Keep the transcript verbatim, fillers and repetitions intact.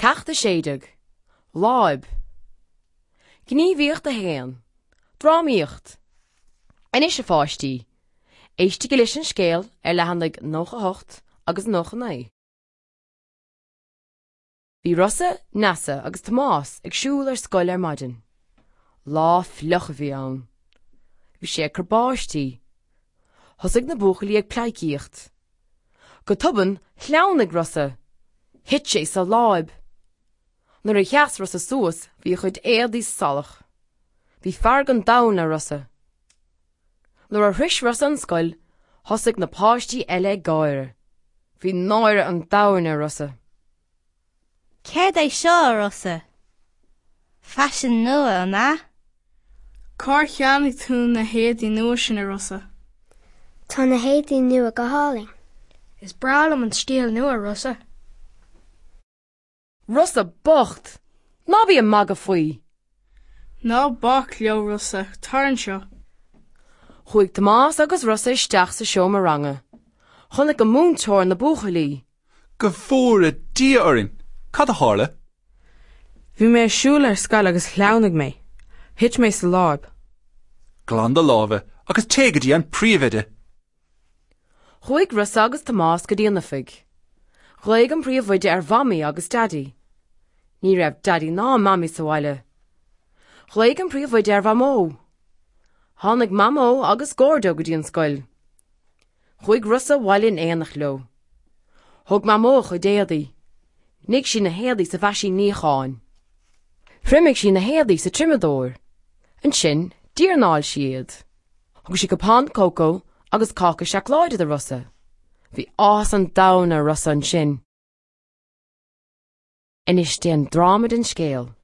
Ceacht a sé déag. Láib. Gníomhaíocht a haon. Drámaíocht. Anois a pháistí, éistigí leis an scéal ar leathanaigh nócha a hocht agus nócha naoi. Bhí Rossa, Neasa agus Tomás ag siúl ar scoil ar maidin. Lá fliuch a bhí ann. Bhí sé ag cur báistí. Thosaigh na buachaillí ag pleidhcíocht. Go tobann, shleamhnaigh Rossa. Thit sé sa láib. Nuair a sheas Rossa suas, bhí a chuid éadaí salach. Bhí fearg an domhain ar Rossa. Nuair a shroich Rossa an scoil, thosaigh na páistí eile ag gáire. Bhí náire an domhain ar Rossa. Céard é seo, a Rossa? Faisean nua, an ea? Cár cheannaigh tú na héadaí nua sin, a Rossa? Tá na héadaí nua go hálainn. Is breá liom an stíl nua, Rossa. Rossa bocht! Ná bí ag magadh faoi! Ná bac leo, Rossa, tar anseo. Chuaigh Tomás agus Rossa isteach sa seomra ranga. Chonaic an múinteoir na buachaillí. Go bhfóire Dia orainn! Cad a tharla? Bhí mé ag siúl ar scoil agus shleamhnaigh mé. Thit mé sa láib. Glan do lámha agus téigh go dtí an príomhoide. Chuaigh Rossa agus Tomás go dtí an oifig. Ghlaoigh an príomhoide ar Mhamaí agus Daidí. Ní raibh Daidí ná Mamaí sa bhaile. Ghlaoigh an príomhoide ar Mhamó. Tháinig Mamó agus Gordo go dtí an scoil. Chuaigh Rossa abhaile in éineacht leo. Thóg Mamó a chuid éadaí. Nigh sí na héadaí sa mheaisín níocháin. Thriomaigh sí na héadaí sa triomadóir. Ansin, d'iarnáil sí iad. Thug sí cupán cócó agus cáca seacláide do Rossa. Bhí áthas an domhain ar Rossa ansin. Anois déan dráma den scéal.